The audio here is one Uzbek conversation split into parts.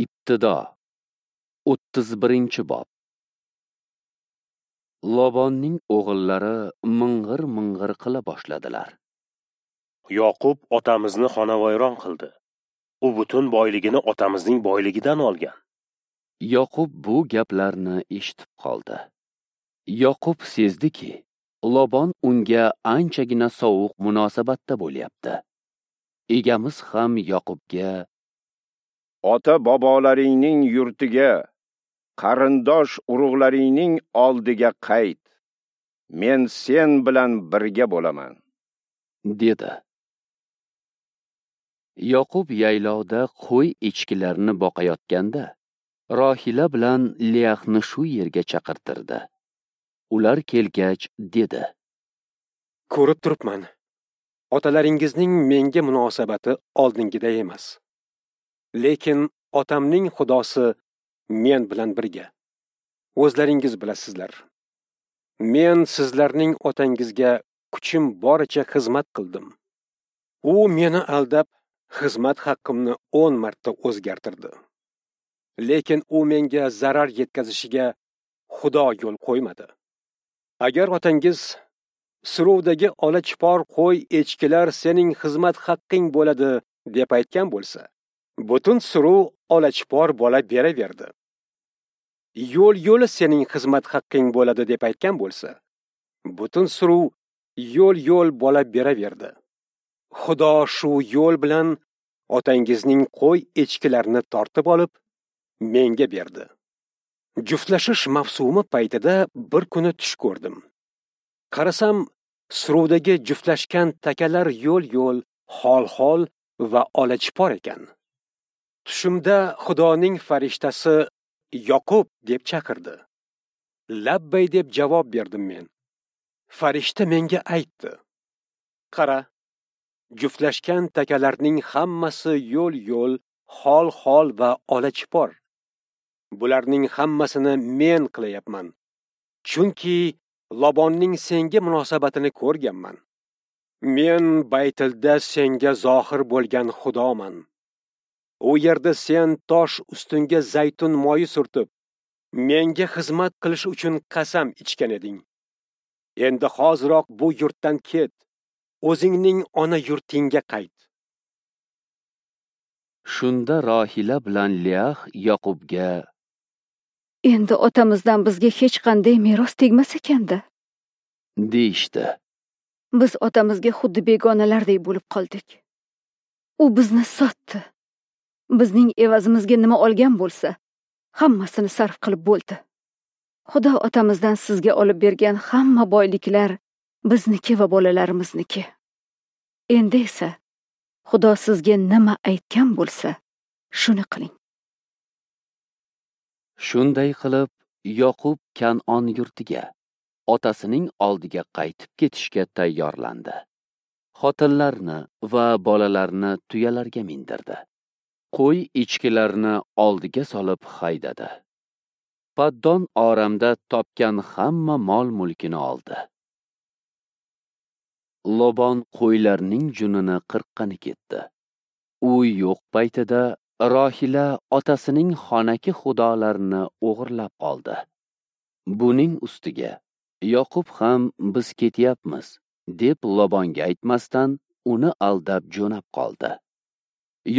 Ibtido 31-bob. Lobonning o'g'illari ming'ir-ming'ir qila boshladilar. Yoqub otamizni xonavayron qildi. U butun boyligini otamizning boyligidan olgan. Yoqub bu gaplarni eshitib qoldi. Yoqub sezdiki, Lobon unga anchagina sovuq munosabatda bo'lyapti. Egamiz ham Yoqubga: "Ota bobolaringning yurtiga, qarindosh urug'laringning oldiga qayt. Men sen bilan birga bo'laman", dedi. Yoqub yaylovda qo'y echkilarini boqayotganda Rohila bilan Liahni shu yerga chaqirtirdi. Ular kelgach dedi: "Ko'rib turibman, otalaringizning menga munosabati oldingiday emas. Lekin otamning Xudosi men bilan birga. O'zlaringiz bilasizlar. Men sizlarning otangizga kuchim boricha xizmat qildim. U meni aldab, xizmat haqqimni 10 marta o'zgartirdi. Lekin u menga zarar yetkazishiga Xudo yo'l qo'ymadi. Agar otangiz suruvdagi ola chipor qo'y echkilar sening xizmat haqqing bo'ladi deb aytgan bo'lsa, butun suruv ola chipor bola beraverdi. Yo'l-yo'li sening xizmat haqqing bo'ladi deb aytgan bo'lsa, butun suruv yo'l-yo'l bola beraverdi. Xudo shu yo'l bilan otangizning qo'y echkilarini tortib olib, menga berdi. Juftlashish mavsumi paytida bir kuni tush ko'rdim. Qarasam, suruvdagi juftlashgan takalar yo'l-yo'l, xol-xol va ola chipor ekan. Tushimda Xudoning farishtasi Yoqub deb chaqirdi. Labbay deb javob berdim men. Farishta menga aytdi: "Qara, juftlashgan takalarning hammasi yo'l-yo'l, xol-xol va ola chipor. Bularning hammasini men qilayapman. Chunki Lobonning senga munosabatini ko'rganman. Men Baytilda senga zohir bo'lgan Xudoman. U yerda sen tosh ustunga zaytun moyi surtib, menga xizmat qilish uchun qasam ichgan eding. Endi hoziroq bu yurtdan ket, o'zingning ona yurtingga qayt." Shunda Rohila bilan Liah Yoqubga: "Endi otamizdan bizga hech qanday meros tegmas ekanda", deyishdi. "Biz otamizga xuddi begonalardek bo'lib qoldik. U bizni sotdi. Bizning evazimizga nima olgan bo'lsa, hammasini sarf qilib bo'ldi. Xudo otamizdan sizga olib bergan hamma boyliklar bizniki va bolalarimizniki. Endi esa Xudo sizga nima aytgan bo'lsa, shuni qiling." Shunday qilib, Yoqub Kan'on yurtiga, otasining oldiga qaytib ketishga tayyorlandi. Xotinlarni va bolalarni tuyalarga mindirdi. Qo'y echkilarni oldiga solib haydadi. Paddon Oramda topgan hamma mol-mulkini oldi. Lobon qo'ylarning junini qirqqani ketdi. U yo'q paytida Rohila otasining xonaki xudolarini o'g'irlab oldi. Buning ustiga Yoqub ham biz ketyapmiz deb Lobonga aytmasdan uni aldab jo'nab qoldi.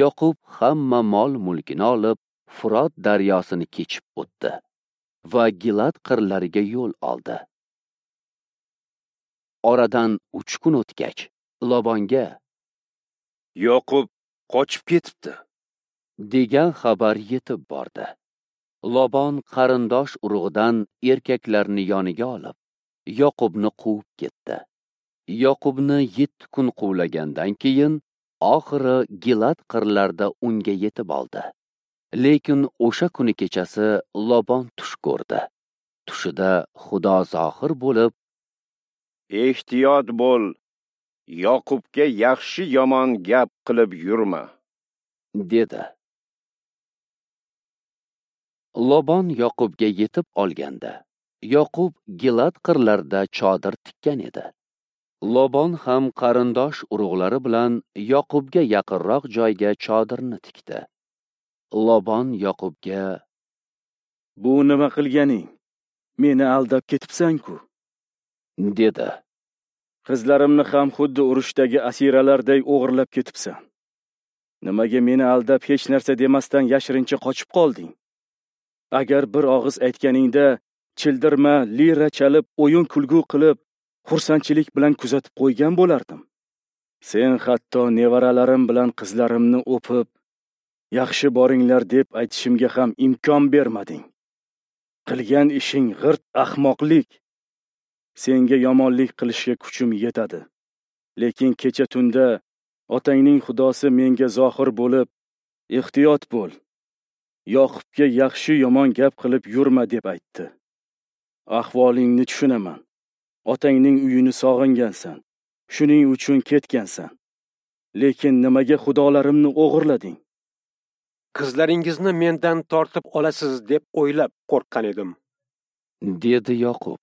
Yoqub hamma mol-mulkini olib Furot daryosini kechib o'tdi va Gilad qirlariga yo'l oldi. Oradan 3 kun o'tgach, Lobonga: "Yoqub qochib ketibdi", degan xabar yetib bordi. Lobon qarindosh urug'idan erkaklarni yoniga olib, Yoqubni quvib ketdi. Yoqubni 7 kun quvlagandan keyin oxiri Gilad qirlarida unga yetib oldi. Lekin o'sha kuni kechasi Lobon tush ko'rdi. Tushida Xudo zohir bo'lib: "Ehtiyot bo'l, Yoqubga yaxshi yomon gap qilib yurma", dedi. Lobon Yoqubga yetib olganda, Yoqub Gilad qirlarida chodir tikkan edi. Lobon ham qarindosh urug'lari bilan Yoqubga yaqinroq joyga chodirni tikdi. Lobon Yoqubga: "Bu nima qilganing? Meni aldab ketibsan-ku", dedi. "Qizlarimni ham xuddi urushdagi asiralarday o'g'irlab ketibsan. Nimaga meni aldab hech narsa demasdan yashirincha qochib qolding? Agar bir og'iz aytganingda childirma, lira chalib, o'yin kulgu qilib, xursandchilik bilan kuzatib qo'ygan bo'lardim. Sen hatto nevaralarim bilan qizlarimni o'pib, yaxshi boringlar deb aytishimga ham imkon bermading. Qilgan ishing g'irt ahmoqlik. Senga yomonlik qilishga kuchim yetadi. Lekin kecha tunda otangning Xudosi menga zohir bo'lib, ehtiyot bo'l, Yoqubga yaxshi yomon gap qilib yurma deb aytdi. Ahvolingni tushunaman. Otangning uyini sog'ingansan, shuning uchun ketgansan. Lekin nimaga xudolarimni o'g'irlading? Qizlaringizni mendan tortib olasiz deb o'ylab qo'rqqan edim", dedi Yoqub.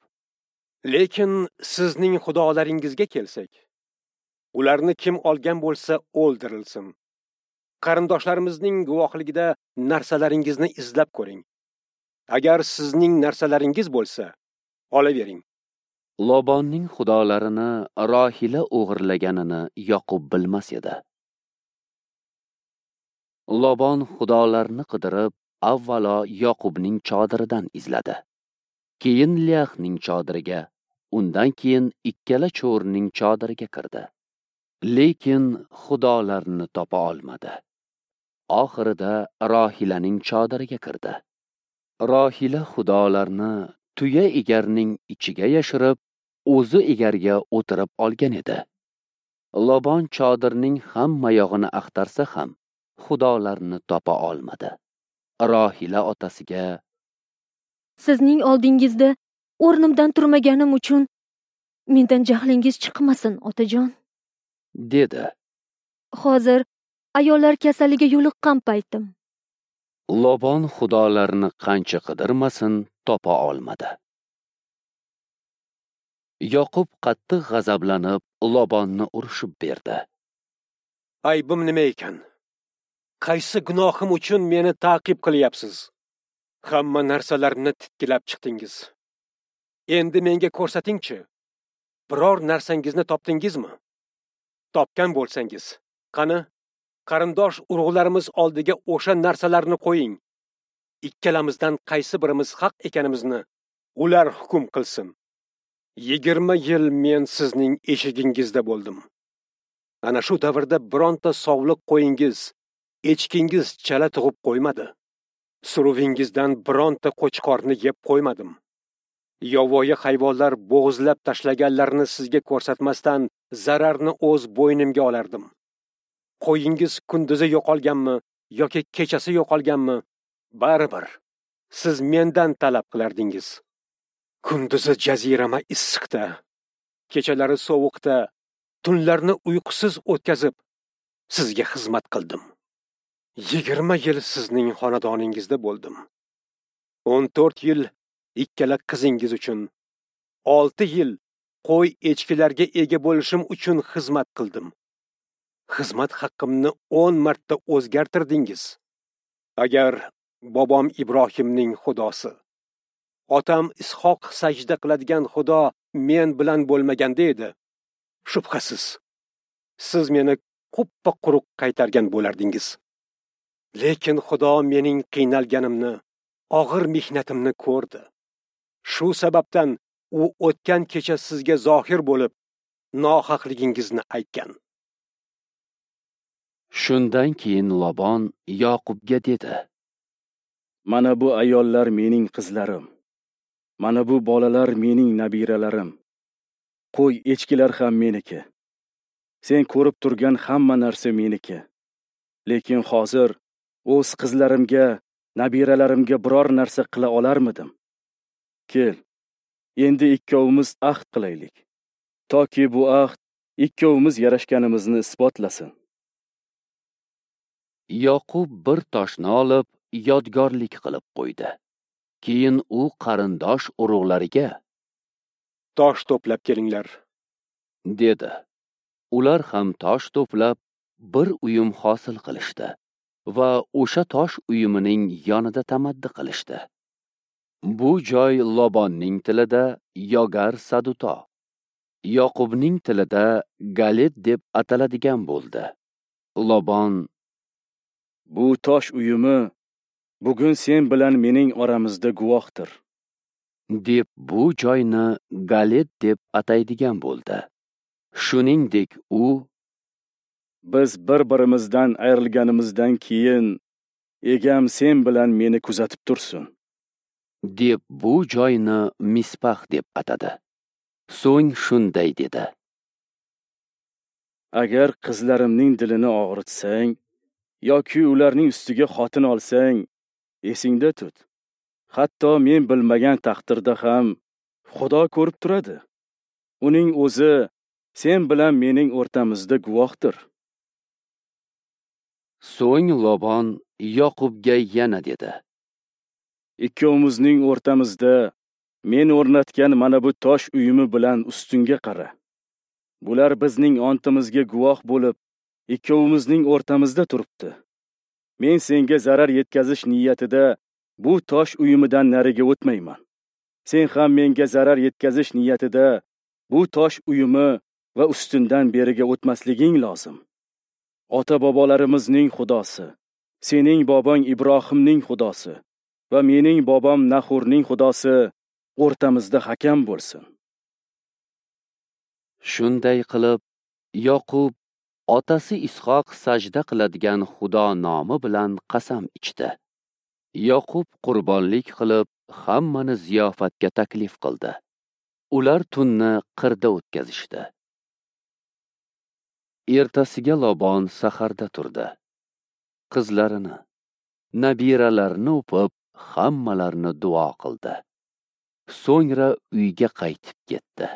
"Lekin sizning xudolaringizga kelsak, ularni kim olgan bo'lsa o'ldirilsin. Qarindoshlarimizning guvohligida narsalaringizni izlab ko'ring. Agar sizning narsalaringiz bo'lsa, olavering." Lobonning xudolarini Rohila o'g'irlaganini Yoqub bilmas edi. Lobon xudolarni qidirib, avvalo Yoqubning chodiridan izladi. Keyin Liyaxning chodiriga, undan keyin ikkala cho'rining chodiriga kirdi. Lekin xudolarni topa olmadi. Oxirida Rohilaning chodiriga kirdi. Rohila xudolarni tuya egarning ichiga yashirib, o'zi egarga o'tirib olgan edi. Lobon chodirning hamma yog'ini axtarsa ham xudolarni topa olmadi. Rohila otasiga: "Sizning oldingizda o'rnimdan turmaganim uchun mendan jahlingiz chiqmasin, otajon", dedi. "Hozir ayollar kasaliga yo'liqqan paytim." Lobon xudolarni qancha qidirmasin topa olmadi. Yoqub qattiq g'azablanib Lobonni urishib berdi. "Aybim nima ekan? Qaysi gunohim uchun meni ta'qib qilyapsiz? Hamma narsalarimni titkilab chiqdingiz. Endi menga ko'rsatingchi, biror narsangizni topdingizmi? Topgan bo'lsangiz, qani, qarindosh urug'larimiz oldiga o'sha narsalarni qo'ying. Ikkalamizdan qaysi birimiz haq ekanimizni ular hukm qilsin. 20 yil men sizning eshigingizda bo'ldim. Ana shu davrda bironta sovliq qo'yingiz, echkingiz chala tug'ib qo'ymadi. Suruvingizdan bironta qo'chqorni yeb qo'ymadim. Yovvoyi hayvonlar bo'g'izlab tashlaganlarni sizga ko'rsatmasdan zararni o'z bo'ynimga olardim. Qo'yingiz kunduzi yo'qolganmi yoki kechasi yo'qolganmi, baribir siz mendan talab qilardingiz. Kunduzi jazirama issiqda, kechalari sovuqda, tunlarni uyqusiz o'tkazib sizga xizmat qildim. 20 yil sizning xonadoningizda bo'ldim. 14 yil ikkala qizingiz uchun, 6 yil qo'y echkilarga ega bo'lishim uchun xizmat qildim. Xizmat haqqimni 10 marta o'zgartirdingiz. Agar bobom Ibrohimning Xudosi, otam Ishoq sajda qiladigan Xudo men bilan bo'lmaganda edi, shubhasiz siz meni quppa quruq qaytargan bo'lardingiz. Lekin Xudo mening qiynalganimni, og'ir mehnatimni ko'rdi. Shu sababdan u o'tgan kecha sizga zohir bo'lib, nohaqligingizni aytgan." Shundan keyin Lobon Yoqubga dedi: "Mana bu ayollar mening qizlarim. Mana bu bolalar mening nabiralarim. Qo'y echkilar ham meniki. Sen ko'rib turgan hamma narsa meniki. Lekin hozir o'z qizlarimga, nabiralarimga biror narsa qila olarmidim? Kel, endi ikkovimiz ahd qilaylik. Toki bu ahd ikkovimiz yarashganimizni isbotlasin." Yoqub bir toshni olib, yodgorlik qilib qo'ydi. Keyin u qarindosh urug'lariga: "Tosh to'plab kelinglar", dedi. Ular ham tosh to'plab bir uyum hosil qilishdi. va o'sha tosh uyumining yonida tamaddi qilishdi. Bu joy Lobonning tilida Yogar Saduto, Yoqubning tilida Galet deb ataladigan bo'ldi. Lobon: "Bu tosh uyumi bugun sen bilan mening oramizda guvohdir", deb bu joyni Galet deb ataydigan bo'ldi. Shuningdek u: "Biz bir-birimizdan ayrilganimizdan keyin egam sen bilan meni kuzatib tursin", deb bu joyni Mispax deb atadi. So'ng shunday dedi: "Agar qizlarimning dilini og'ritsang yoki ularning ustiga xotin olsang, esingda tut. Hatto men bilmagan taqdirda ham Xudo ko'rib turadi. Uning o'zi sen bilan mening o'rtamizda guvohdir." So'ng Lobon Yoqubga yana dedi: "Ikkovimizning o'rtamizda men o'rnatgan mana bu tosh uyumi bilan ustunga qara. Bular bizning ontimizga guvoh bo'lib, ikkovimizning o'rtamizda turibdi. Men senga zarar yetkazish niyatida bu tosh uyumidan nariga o'tmayman. Sen ham menga zarar yetkazish niyatida bu tosh uyumi va ustundan beriga o'tmasliging lozim. Ota-bobolarimizning Xudosi, sening bobong Ibrohimning Xudosi va mening bobom Nahurning Xudosi o'rtamizda hakam bo'lsin." Shunday qilib, Yoqub otasi Ishoq sajda qiladigan Xudo nomi bilan qasam ichdi. Yoqub qurbonlik qilib, hammani ziyofatga taklif qildi. Ular tunni qirda o'tkazishdi. Ertasiga Lobon saharda turdi. Qizlarini, nabiralarini o'pib, hammalarini duo qildi. So'ngra uyga qaytib ketdi.